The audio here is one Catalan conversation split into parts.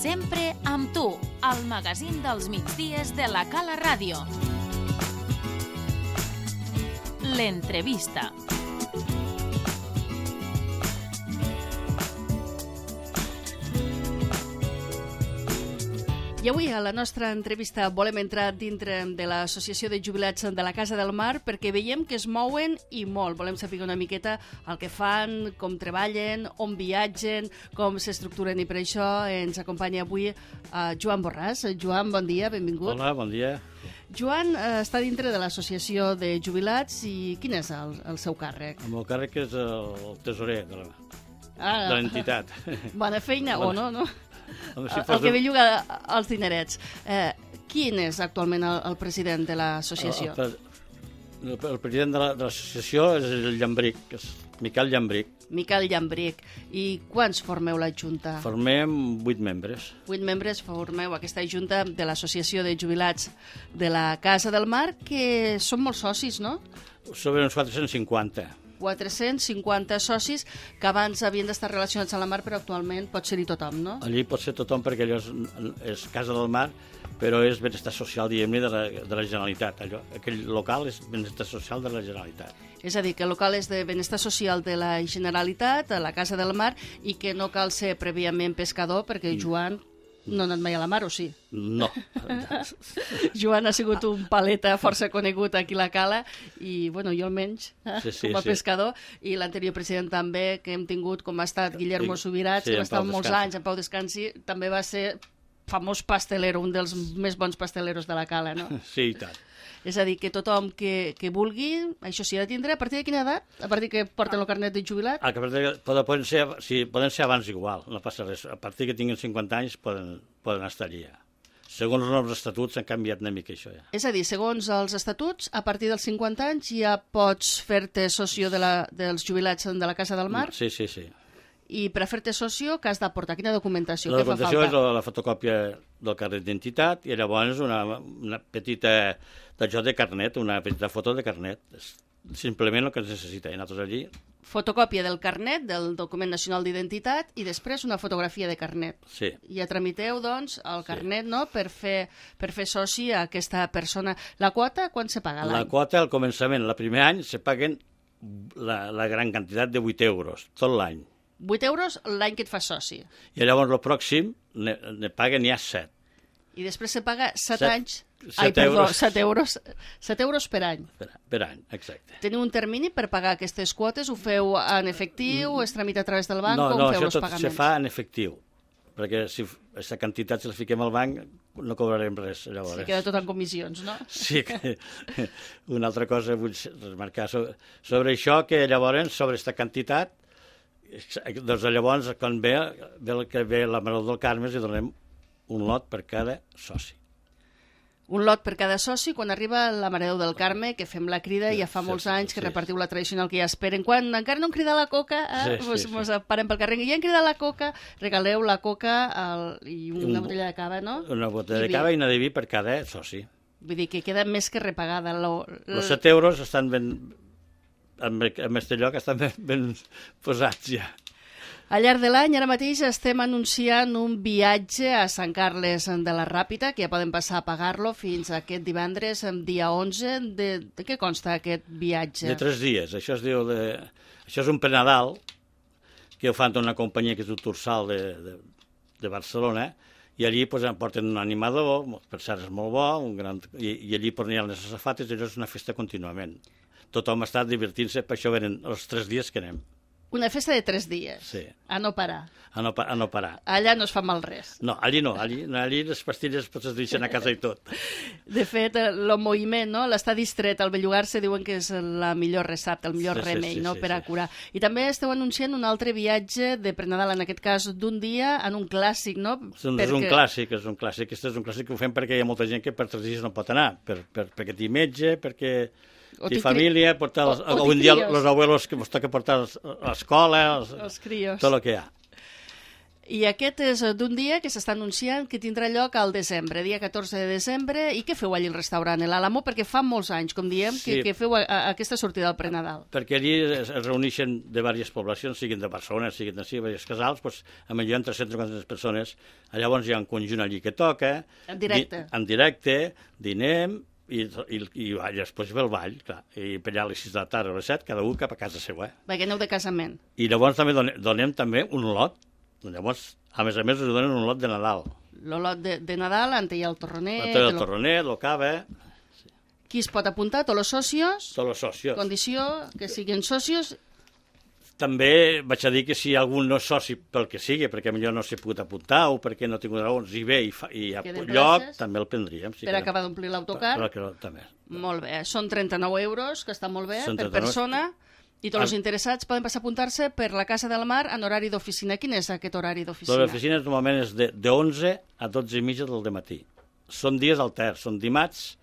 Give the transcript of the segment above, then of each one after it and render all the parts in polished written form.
Sempre amb tu, al magazín dels migdies de la Cala Ràdio. L'entrevista. I avui a la nostra entrevista volem entrar dintre de l'Associació de Jubilats de la Casa del Mar perquè veiem que es mouen i molt. Volem saber una miqueta el que fan, com treballen, on viatgen, com s'estructuren, i per això ens acompanya avui Joan Borràs. Joan, bon dia, benvingut. Hola, bon dia. Joan està dintre de l'Associació de Jubilats i quin és el seu càrrec? El meu càrrec és el tesorer de l'entitat. Bona feina, o no? El que belluga els dinerets. Quin és actualment el president de l'associació? El president de l'associació és el Llambric, que és Miquel Llambric. Miquel Llambric. I quants formeu la Junta? Formem 8 membres. 8 membres formeu aquesta Junta de l'Associació de Jubilats de la Casa del Mar, que són molts socis, no? Sobre uns 450. 450 socis que abans havien d'estar relacionats amb la mar, però actualment pot ser-hi tothom, no? Allí pot ser tothom perquè allò és Casa del Mar, però és benestar social, diguem-ne, de la Generalitat. Aquell local és benestar social de la Generalitat. És a dir, que el local és de benestar social de la Generalitat, a la Casa del Mar, i que no cal ser prèviament pescador, perquè Joan no ha anat mai a la mar, o sí? No. Joan ha sigut un paleta força conegut aquí a la Cala i, bueno, jo almenys, com a pescador, i l'anterior president també, que hem tingut, com ha estat Guillermo Subirats, que va estar molts anys en Pau Descansi, també va ser famós pastelero, un dels més bons pasteleros de la Cala, no? Sí, i tant. És a dir, que tothom que vulgui, això s'hi ha de tindre. A partir de quina edat? A partir que porten el carnet de jubilat? Poden ser abans igual, no passa res. A partir que tinguin 50 anys poden estar allà. Segons els nous estatuts han canviat una mica això ja. És a dir, segons els estatuts, a partir dels 50 anys ja pots fer-te socio dels jubilats de la Casa del Mar? Sí. I per a fer-te socio, què has d'aportar? Quina documentació? La documentació és la fotocòpia del carnet d'identitat i llavors una petita d'allò de carnet, una petita foto de carnet. És simplement el que es necessita. I nosaltres allí... Fotocòpia del carnet, del document nacional d'identitat, i després una fotografia de carnet. Sí. I ja tramiteu, doncs, el carnet, no?, per fer soci a aquesta persona. La quota, quan se paga l'any? La quota, al començament, el primer any, se paguen la gran quantitat de 8 euros, tot l'any. 8 euros l'any que et fas soci. I llavors el pròxim ne paguen ja 7. I després se paga 7 anys... 7 euros. 7 euros per any. Per any, exacte. Teniu un termini per pagar aquestes quotes? Ho feu en efectiu? Es tramita a través del banc? No, com feu això els tot pagaments? se fa en efectiu. Perquè si aquesta quantitat si la fiquem al banc no cobrarem res, llavors. Sí, queda tot en comissions, no? Sí, que una altra cosa vull remarcar sobre això, que llavors, sobre aquesta quantitat, doncs llavors, quan ve la Mare del Carme, hi donem un lot per cada soci. Un lot per cada soci. Quan arriba la Mare del Carme, que fem la crida, ja fa molts anys que repartiu la tradicional que ja esperen. Quan encara no han cridat la coca, mos parem pel carrer, i ja han cridat la coca, regaleu la coca i una botella de cava, no? Una botella de cava i una de vi per cada soci. Vull dir que queda més que repagada. Els 7 euros estan ben... amb aquest lloc estan ben posats ja. Al llarg de l'any, ara mateix, estem anunciant un viatge a Sant Carles de la Ràpita, que ja poden passar a pagar-lo fins a aquest divendres, dia 11. De què consta aquest viatge? De 3 dies. Això es diu això és un prenadal, que ho fan d'una companyia que és un Tursal de Barcelona, i allí porten un animador, per cert és molt bo, i allí porten les safates, i allò és una festa contínuament. Tothom està divertint-se, per això venen els 3 dies que anem. Una festa de 3 dies, sí. A no parar. A no parar. Allà no es fa mal res. No, allí no. Allí les pastilles pots es deixen a casa i tot. De fet, el moviment, no? L'estar distret, el bellugar-se, diuen que és la millor recepta, el millor remei, no? Per a curar. I també esteu anunciant un altre viatge de prenadal, en aquest cas d'un dia, en un clàssic, no? És un clàssic. Aquest és un clàssic que ho fem perquè hi ha molta gent que per 3 dies no pot anar, perquè té metge, perquè... té família, portar un dia els abuelos que ens toca portar a l'escola, els crios. Tot el que hi ha. I aquest és d'un dia que s'està anunciant que tindrà lloc al desembre, dia 14 de desembre. I què feu allà al restaurant, l'Àlamo? Perquè fa molts anys, com diem, que feu aquesta sortida al Prenadal. Perquè allí es reuneixen de diverses poblacions, siguin de Barcelona, siguin de diversos casals, doncs, a millor entre 150 persones. Llavors hi ha un conjunt allí que toca. En directe. En directe, dinem, i després ve el ball, clar. I per allà a les 6 de la tarda o a les 7, cada un cap a casa seva. Perquè aneu de casament. I llavors també donem també un lot. Llavors, a més, us donen un lot de Nadal. El lot de Nadal, on hi ha el torronet... El torronet, el cava... Qui es pot apuntar? Tots els socios? Tots els socios. Condició que siguin socios. També vaig a dir que si algú no és soci pel que sigui, perquè millor no s'hi pogut apuntar o perquè no ha tingut raons, i ve i hi ha lloc, també el prendríem. Per acabar d'omplir l'autocar? També. Molt bé. Són 39 euros, que està molt bé, per persona. I tots els interessats poden passar a apuntar-se per la Casa del Mar en horari d'oficina. Quin és aquest horari d'oficina? L'oficina normalment és de 11 a 12 i mitja del dematí. Són dies alterns, són dimarts,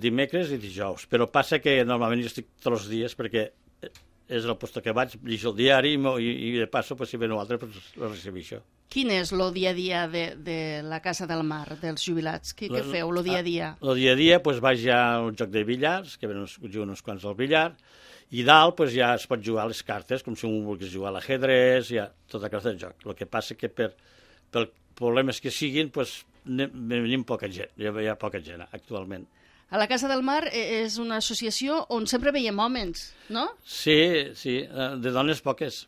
dimecres i dijous. Però passa que normalment jo estic tots els dies perquè és el lloc que vaig, llegir el diari i de passo, si ve un altre, lo recibeixo. Quin és el dia a dia de la Casa del Mar, dels jubilats? Què feu, el dia a dia? El dia a dia vaig a un joc de billars, que juguen uns quants al billar, i dalt ja es pot jugar a les cartes, com si un volgués jugar a l'ajedrez, hi ha tota classe de joc. El que passa que per problemes que siguin, venim poca gent, hi ha poca gent actualment. A la Casa del Mar és una associació on sempre veiem homes, no? Sí, de dones poques.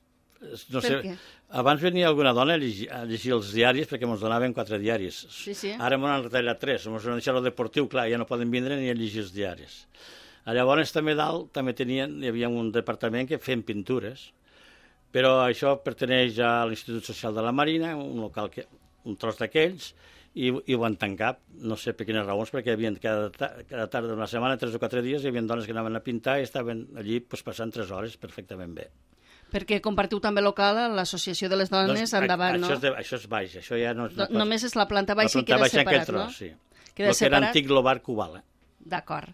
No sé, què? Abans venia alguna dona a llegir els diaris perquè ens donaven 4 diaris. Sí. Ara m'han retallat 3, ens han deixat el deportiu, clar, ja no poden vindre ni a llegir els diaris. Llavors també dalt hi havia un departament que feien pintures, però això perteneix a l'Institut Social de la Marina, un tros d'aquells, i ho van tancar, no sé per quines raons, perquè hi havia cada tarda d'una setmana, 3 o 4 dies, hi havia dones que anaven a pintar i estaven allí passant 3 hores perfectament bé. Perquè compartiu també local a l'Associació de les Dones endavant, no? Això és baix, això ja no és... Només és la planta baixa i queda separat, no? Sí. El que era antic l'Obar Cubala. D'acord.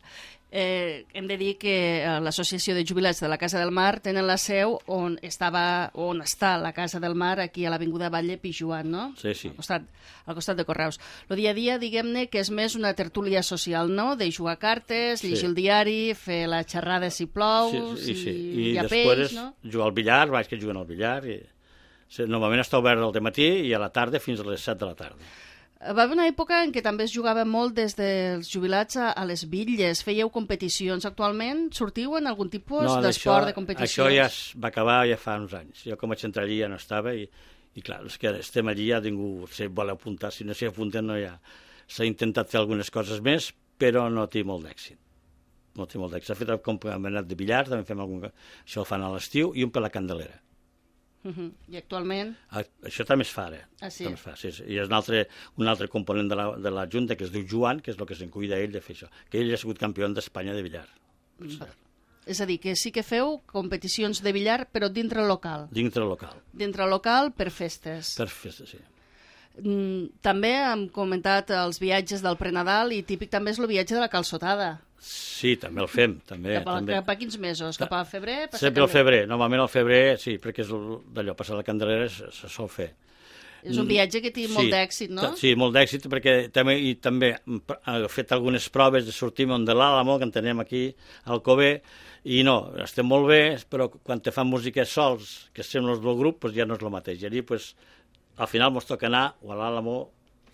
Hem de dir que l'Associació de Jubilats de la Casa del Mar tenen la seu on està la Casa del Mar, aquí a l'Avinguda Batlle Pijuan, no? Sí. Al costat de Correus. El dia a dia, diguem-ne, que és més una tertúlia social, no? De jugar cartes, llegir el diari, fer la xerrada si plou, si hi ha peix, no? I jugar al billar, que juguen al billar. Normalment està obert al dematí i a la tarda fins a les 7 de la tarda. Va haver una època en què també es jugava molt des dels jubilats a les bitlles. Fèieu competicions. Actualment sortiu en algun tipus d'esport, de competicions? Això ja es va acabar ja fa uns anys. Jo com vaig entrar allí ja no estava i clar, els que estem allí ja ningú se vol apuntar. Si no s'hi apunten no hi ha. S'ha intentat fer algunes coses més, però no té molt d'èxit. S'ha fet el campionat de billar, també fem això ho fan a l'estiu, i un per la Candelera. I actualment? Això també es fa ara. Sí? Sí. I és un altre component de la Junta que es diu Joan, que és el que se'n cuida ell de fer això, que ell ha sigut campió d'Espanya de billar. És a dir, que sí que feu competicions de billar, però dintre local. Dintre local. Dintre local per festes. Per festes, sí. També hem comentat els viatges del Prenadal i típic també és el viatge de la calçotada. Sí, també el fem. Cap a quins mesos? Cap al febrer? Sempre al febrer. Normalment al febrer, sí, perquè és d'allò, passar la Candelera se sol fer. És un viatge que té molt d'èxit, no? Sí, molt d'èxit, perquè també he fet algunes proves de sortir de l'Àlamo, que en tenem aquí, al Alcover, i no, estem molt bé, però quan te fan música sols, que estem els del grup, ja no és el mateix. I allí, al final, ens toca anar a l'Àlamo,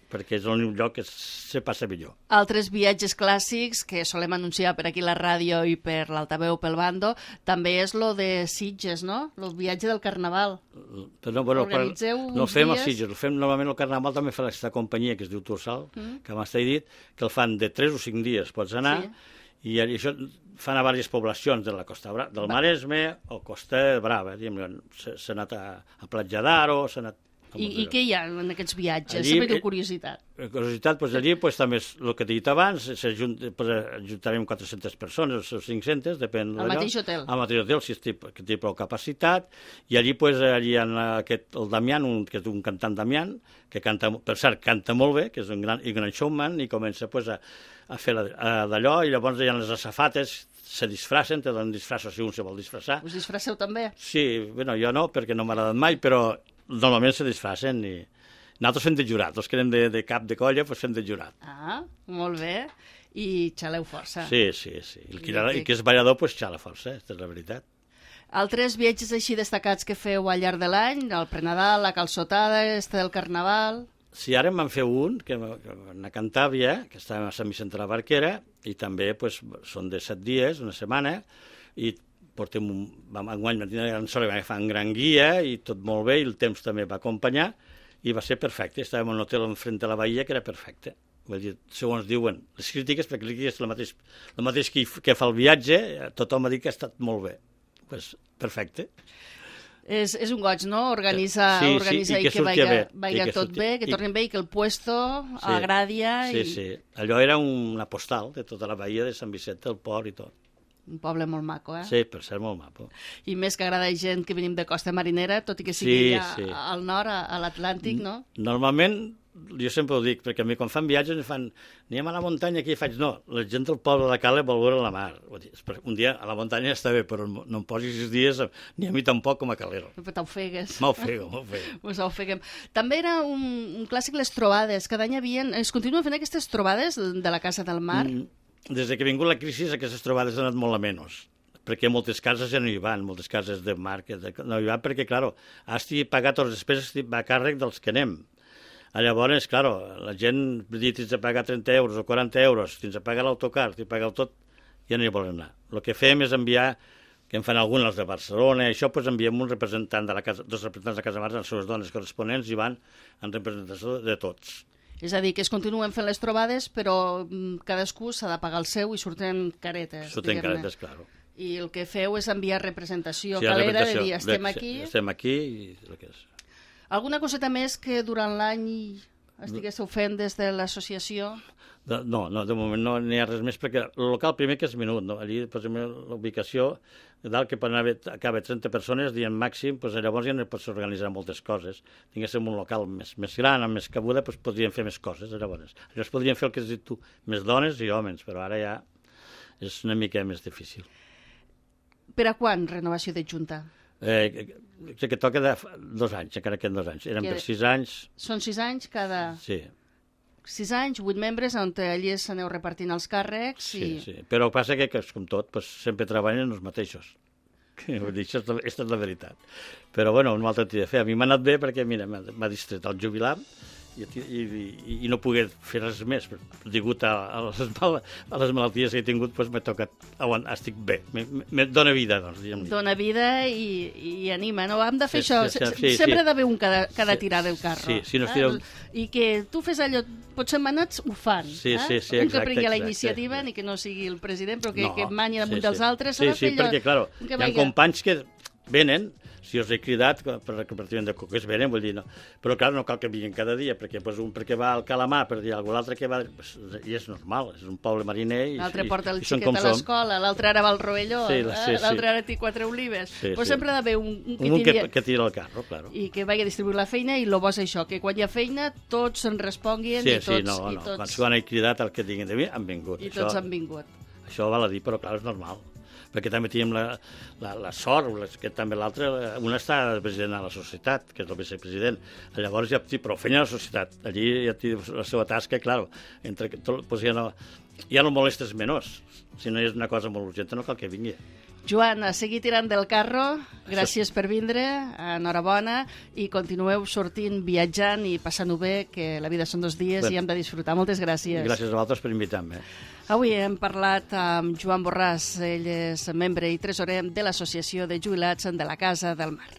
perquè és l'únic lloc que se passa millor. Altres viatges clàssics que solem anunciar per aquí la ràdio i per l'altaveu pel bando, també és lo de Sitges, no? El viatge del Carnaval. Organitzeu uns dies? No fem els Sitges, normalment el Carnaval també fa aquesta companyia que es diu Tursal, que m'ha estat dit, que el fan de 3 o 5 dies, pots anar, i això fan a diverses poblacions de la Costa del Maresme o Costa Brava. S'ha anat a Platja d'Aro, s'ha anat... I què hi ha en aquests viatges? Sempre tinc curiositat. Curiositat, allí també és el que t'he dit abans, ajuntarem 400 persones o 500, depèn d'allò. Al mateix hotel? Al mateix hotel, si té prou capacitat, i allí hi ha el Damián, que és un cantant Damián, que canta, per cert, canta molt bé, que és un gran showman, i comença a fer d'allò, i llavors hi ha les asafates, se disfracen, te donen disfressos si un se vol disfressar. Us disfresseu també? Sí, jo no, perquè no m'ha agradat mai, però normalment se disfracen i nosaltres fem de jurat, els que anem de cap de colla doncs fem de jurat. Ah, molt bé. I xaleu força. Sí. I qui és ballador, doncs xala força, aquesta és la veritat. Altres viatges així destacats que feu al llarg de l'any, el Prenadal, la calçotada, del Carnaval... Sí, ara en van fer un, que a Cantàbria, que estàvem a Sant Vicent de la Barquera, i també són de 7 dies, una setmana, i portem enguany vam agafar un gran guia, i tot molt bé, i el temps també va acompanyar, i va ser perfecte. Estàvem en un hotel enfront de la bahia, que era perfecte. Vull dir, segons diuen les crítiques, perquè les crítiques és el mateix que fa el viatge, tothom ha dit que ha estat molt bé. Pues, perfecte. És un goig, no?, organitzar i que vagi tot bé, que tornin bé i que el puesto agradia. Sí. Allò era una postal de tota la bahia de Sant Vicent, del port i tot. Un poble molt maco, eh? Sí, per ser molt maco. I més que agrada gent que venim de costa marinera, tot i que sigui al nord, a l'Atlàntic, no? Normalment, jo sempre ho dic, perquè a mi quan fan viatges anem a la muntanya aquí i faig, no, la gent del poble de Cala vol veure la mar. Un dia a la muntanya està bé, però no em posis 6 dies, ni a mi tampoc com a calero. Però t'ofegues. M'ofego. Us ofeguem. També era un clàssic les trobades. Cada any es continuen fent aquestes trobades de la Casa del Mar? Des que ha vingut la crisi, aquestes trobades han anat molt a menys, perquè moltes cases ja no hi van, moltes cases de mar no hi van, perquè, clar, estigui pagat totes les despeses va a càrrec dels que anem. Llavors, clar, la gent tens de pagar 30 euros o 40 euros, tens de pagar l'autocar, tens de pagar tot, ja no hi volen anar. El que fem és enviar, que en fan alguns de Barcelona, i això, doncs enviem un representant de la casa, 2 representants de Casa Mar, les seves dones corresponents, i van en representació de tots. És a dir, que es continuen fent les trobades, però cadascú s'ha de pagar el seu i surten caretes. Surten caretes, clar. I el que feu és enviar representació calera, de dir, estem aquí... Estem aquí i el que és. Alguna coseta més que durant l'any estiguéssiu fent des de l'associació? No, de moment no n'hi ha res més, perquè el local primer que és minut, no? Allí, per exemple, l'ubicació, dalt que acaba 30 persones, dient màxim, llavors ja no pots organitzar moltes coses. Tinguéssim un local més gran, amb més cabuda, podríem fer més coses, llavors. Llavors podríem fer el que has dit tu, més dones i homes, però ara ja és una mica més difícil. Per a quan renovació de Junta? Que toca de 2 anys, encara queden 2 anys. Eren per 6 anys. Són 6 anys cada... Sí. 6 anys, 8 membres, on allí s'aneu repartint els càrrecs. Sí. Però el que passa que, com tot, sempre treballen els mateixos. Vull dir, aquesta és la veritat. Però, bueno, un altre t'hi de fer. A mi m'ha anat bé perquè, mira, m'ha distret el jubilar i no poder fer res més. Degut a les malalties que he tingut, m'he tocat aguantar. Estic bé. Me dona vida, doncs, diguem-ne. Dona vida i anima, no? Hem de fer això. Sempre ha d'haver un cada tirada del carro. Sí, no estireu... I que tu fes allò, potser manats ho fan. Sí, exacte. Un que prengui la iniciativa, ni que no sigui el president, però que mani damunt dels altres. Sí, perquè, clar, hi ha companys que venen, si us he cridat per el repartiment de coques, venen, vull dir, no. Però, clar, no cal que vinguin cada dia, perquè un perquè va al Calamar, per dir alguna cosa, l'altre que va... I és normal, és un poble mariner i l'altre porta el xiquet a l'escola, l'altre ara va al Rovelló, l'altre ara té 4 olives. Però sempre ha d'haver un que tira el carro, claro. I que vagi a distribuir la feina, i el bo és això, que quan hi ha feina tots se'n responguin i tots... Quan he cridat el que diguin de mi, han vingut. I tots han vingut. Això val a dir, però clar, és normal. Perquè també tenim la sort, que també l'altra, una està president de la societat, que és el vicepresident, llavors ja té prou feina a la societat, allí ja té la seva tasca, clar, entre tot, doncs ja no molestes menors, si no és una cosa molt urgent no cal que vingui. Joan, a seguir tirant del carro, gràcies per vindre, enhorabona, i continueu sortint, viatjant i passant-ho bé, que la vida són 2 dies i hem de disfrutar. Moltes gràcies. Gràcies a vosaltres per invitar-me. Avui hem parlat amb Joan Borràs, ell és membre i tresorer de l'Associació de Jubilats de la Casa del Mar.